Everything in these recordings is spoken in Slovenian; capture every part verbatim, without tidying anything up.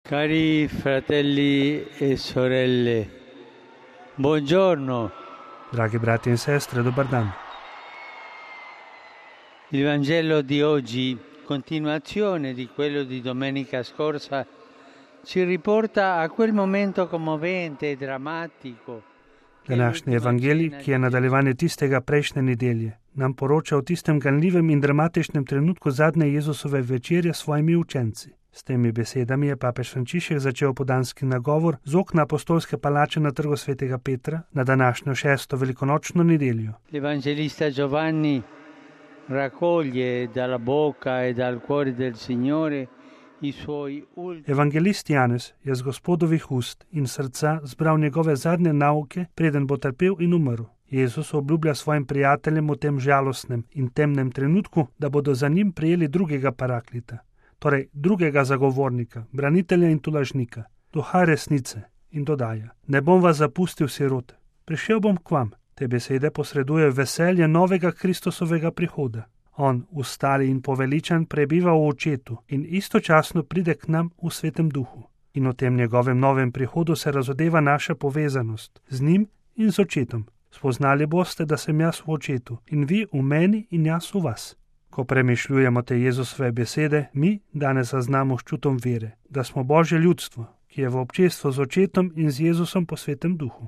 Cari fratelli e sorelle, buongiorno. Dragi brati in sestre, dobar dan. Il Vangelo di oggi, continuazione di quello di domenica scorsa, ci riporta a quel momento commovente e drammatico. Današnji evangelij, ki je nadaljevanje tistega prejšnje nedelje, nam poroča o tistem ganljivem in dramatičnem trenutku zadnje Jezusove večerje s svojimi učenci. S temi besedami je papež Frančišek začel podanski nagovor z okna apostolske palače na trgu svetega Petra na današnjo šesto velikonočno nedeljo. L'Evangelista Giovanni raccoglie dalla bocca e dal cuore del Signore i suoi ultimi. Evangelist Janez je z Gospodovih ust in srca zbral njegove zadnje nauke, preden bo trpel in umrl. Jezus obljublja svojim prijateljem v tem žalostnem in temnem trenutku, da bodo za njim prijeli drugega paraklita, torej drugega zagovornika, branitelja in tolažnika, duha resnice, in dodaja: ne bom vas zapustil sirote, prišel bom k vam. Te besede posreduje veselje novega Kristusovega prihoda. On, ustali in poveličan, prebiva v očetu in istočasno pride k nam v svetem duhu. In v tem njegovem novem prihodu se razodeva naša povezanost z njim in z očetom. Spoznali boste, da sem jaz v očetu in vi v meni in jaz v vas. Ko premišljujemo te Jezusove besede, mi danes zaznamo s čutom vere, da smo Božje ljudstvo, ki je v občestvu z očetom in z Jezusom po svetem duhu.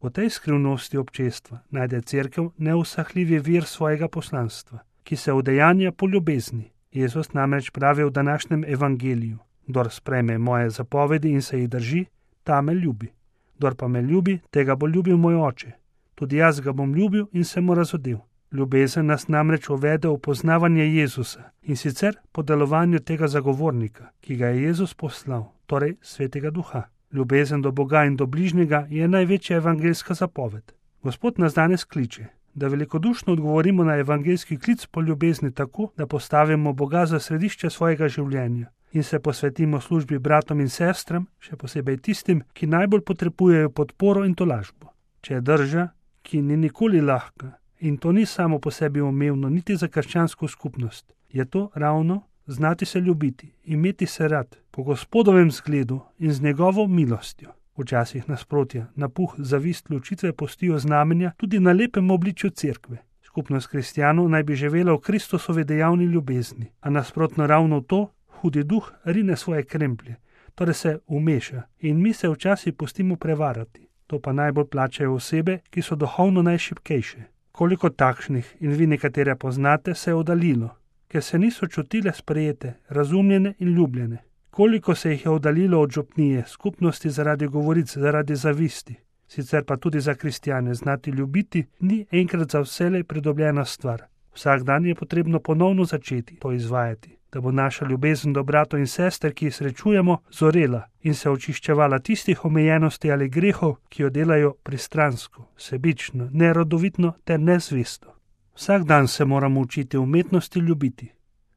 V tej skrivnosti občestva najde Cerkev neusahljivi vir svojega poslanstva, ki se udejanja po ljubezni. Jezus namreč pravi v današnjem evangeliju: kdor sprejme moje zapovedi in se jih drži, ta me ljubi. Kdor pa me ljubi, tega bo ljubil moj oče. Tudi jaz ga bom ljubil in se mu razodel. Ljubezen nas namreč uvede v poznavanje Jezusa, in sicer po delovanju tega zagovornika, ki ga je Jezus poslal, torej svetega duha. Ljubezen do Boga in do bližnjega je največja evangeljska zapoved. Gospod nas danes kliče, da velikodušno odgovorimo na evangeljski klic po ljubezni tako, da postavimo Boga za središče svojega življenja in se posvetimo službi bratom in sestram, še posebej tistim, ki najbolj potrebujejo podporo in tolažbo. Če je drža, ki ni nikoli lahka, in to ni samo po sebi umevno niti za krščansko skupnost, je to ravno znati se ljubiti, imeti se rad, po Gospodovem zgledu in z njegovo milostjo. Včasih nasprotja, napuh, zavist, ločitve postijo znamenja tudi na lepem obličju cerkve. Skupnost kristjanov naj bi živela v Kristusovi dejavni ljubezni, a nasprotno ravno to, hudi duh rine svoje kremplje, torej se umeša in mi se včasih pustimo prevarati. To pa najbolj plačajo osebe, ki so duhovno najšibkejše. Koliko takšnih, in vi nekatere poznate, se je oddaljilo, ker se niso čutile sprejete, razumljene in ljubljene. Koliko se jih je oddaljilo od župnije, skupnosti zaradi govoric, zaradi zavisti. Sicer pa tudi za kristjane znati ljubiti ni enkrat za vselej pridobljena stvar. Vsak dan je potrebno ponovno začeti to izvajati, da bo naša ljubezen do bratov in sester, ki jih srečujemo, zorela in se očiščevala tistih omejenosti ali grehov, ki jo delajo pristransko, sebično, nerodovitno ter nezvesto. Vsak dan se moramo učiti umetnosti ljubiti.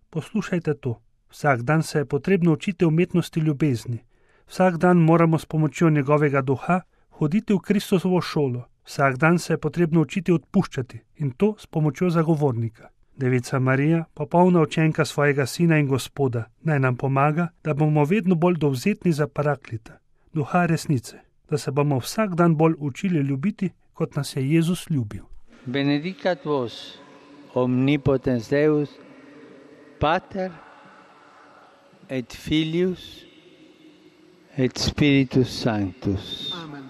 Poslušajte to. Vsak dan se je potrebno učiti umetnosti ljubezni. Vsak dan moramo s pomočjo njegovega duha hoditi v Kristusovo šolo. Vsak dan se je potrebno učiti odpuščati in to s pomočjo zagovornika. Devica Marija, popolna učenka svojega sina in Gospoda, naj nam pomaga, da bomo vedno bolj dovzetni za paraklita, duha resnice, da se bomo vsak dan bolj učili ljubiti, kot nas je Jezus ljubil. Benedicat vos, omnipotens Deus, Pater et Filius et Spiritus Sanctus. Amen.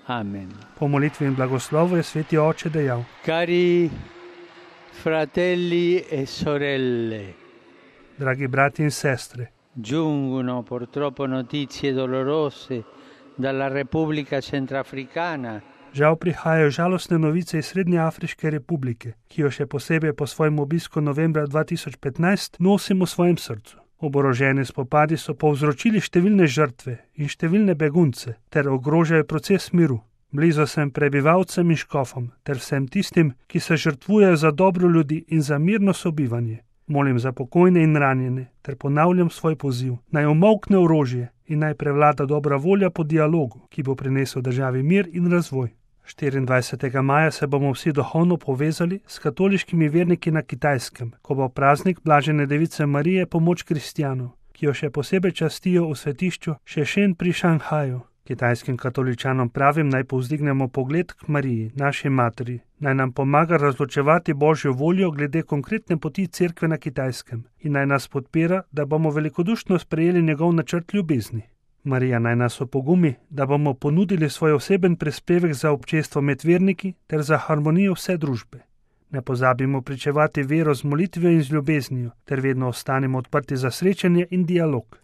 Amen. Po molitvi in blagoslovu je sveti oče dejal: Cari fratelli e sorelle, dragi brati in sestre, giungono purtroppo notizie dolorose dalla Repubblica Centrafricana. Žal prihajajo žalostne novice iz Srednje Afriške republike, ki jo še posebej po svojem obisku novembra dva tisoč petnajst nosimo v svojem srcu. Oboroženi spopadi so povzročili številne žrtve in številne begunce ter ogrožajo proces miru. Blizu sem prebivalcem in škofom ter vsem tistim, ki se žrtvujejo za dobro ljudi in za mirno sobivanje. Molim za pokojne in ranjene ter ponavljam svoj poziv, naj umolkne orožje in naj prevlada dobra volja po dialogu, ki bo prinesel državi mir in razvoj. štiriindvajsetega maja se bomo vsi duhovno povezali s katoliškimi verniki na Kitajskem, ko bo praznik Blažene device Marije pomoč kristjanov. ki jo še posebej častijo v svetišču Šešen pri Šanghaju. Kitajskim katoličanom pravim, naj povzdignemo pogled k Mariji, naši materi, naj nam pomaga razločevati Božjo voljo glede konkretne poti cerkve na Kitajskem in naj nas podpira, da bomo velikodušno sprejeli njegov načrt ljubezni. Marija naj nas opogumi, da bomo ponudili svoj oseben prispevek za občestvo med verniki ter za harmonijo vse družbe. Ne pozabimo pričevati vero z molitvijo in z ljubeznijo, ter vedno ostanimo odprti za srečanje in dialog.